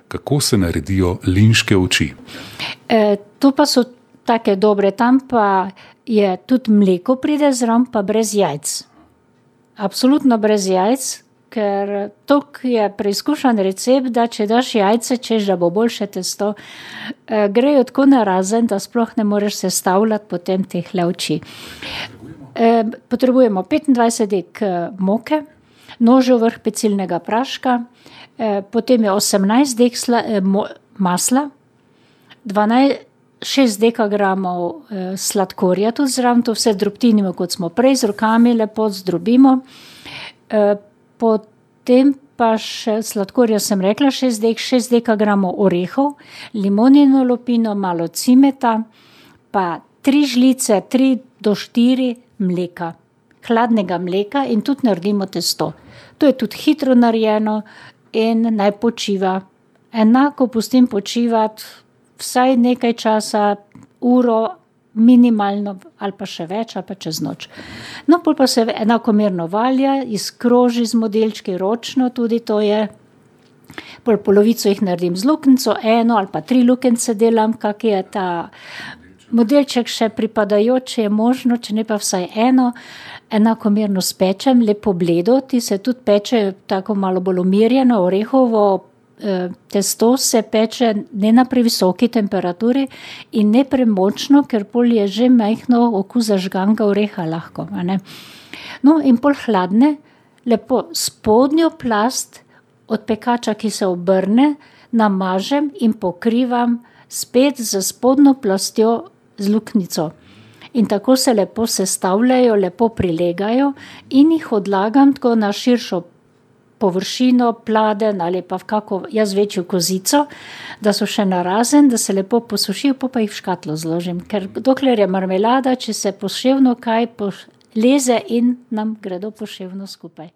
kako se naredijo linške oči. To pa so take dobre, tam pa je tudi mleko pride zraven, pa brez jajc. Absolutno brez jajc, ker tok je preizkušen recept, da če daš jajce, češ da bo boljše testo, grejo tako narazen, da sploh ne moreš sestavljati potem teh oči. Potrebujemo 25 dek moke, nožev vrh pecilnega praška, potem je 18 dek masla, 6 dekagramov sladkorja tudi zraven, to vse drobtinimo, kot smo prej, z rokami lepo zdrobimo. Potem pa še sladkorja sem rekla, 6 dekagramov orehov, limonino lupino, malo cimeta, pa 3 žlice, 3 do 4 mleka, hladnega mleka in tudi naredimo testo. To je tudi hitro narejeno in naj počiva. Enako pustim počivati vsaj nekaj časa, uro minimalno ali pa še več ali pa čez noč. No, pol pa se enakomerno valja, izkroži z modelčki ročno, tudi to je. Pol polovico jih naredim z luknjico, 1 ali pa 3 luknjice delam, kak je ta modelček še pripadajoč, je možno, če ne pa vsaj 1, enakomerno spečem, lepo bledo, ti se tudi peče tako malo bolj umirjeno, orehovo testo se peče ne na previsoki temperaturi in ne premočno, ker pol je že majhno okus zažganega oreha lahko. Ne? No, in pol hladne, lepo spodnjo plast od pekača, ki se obrne, namažem in pokrivam spet z spodnjo plastjo z luknjico. In tako se lepo sestavljajo, lepo prilegajo in jih odlagam tako na širšo površino, pladen ali pa v kako, jaz večjo kozico, da so še narazen, da se lepo posušijo, pa jih v škatlo zložim. Ker dokler je marmelada, če se poševno kaj leze in nam gredo poševno skupaj.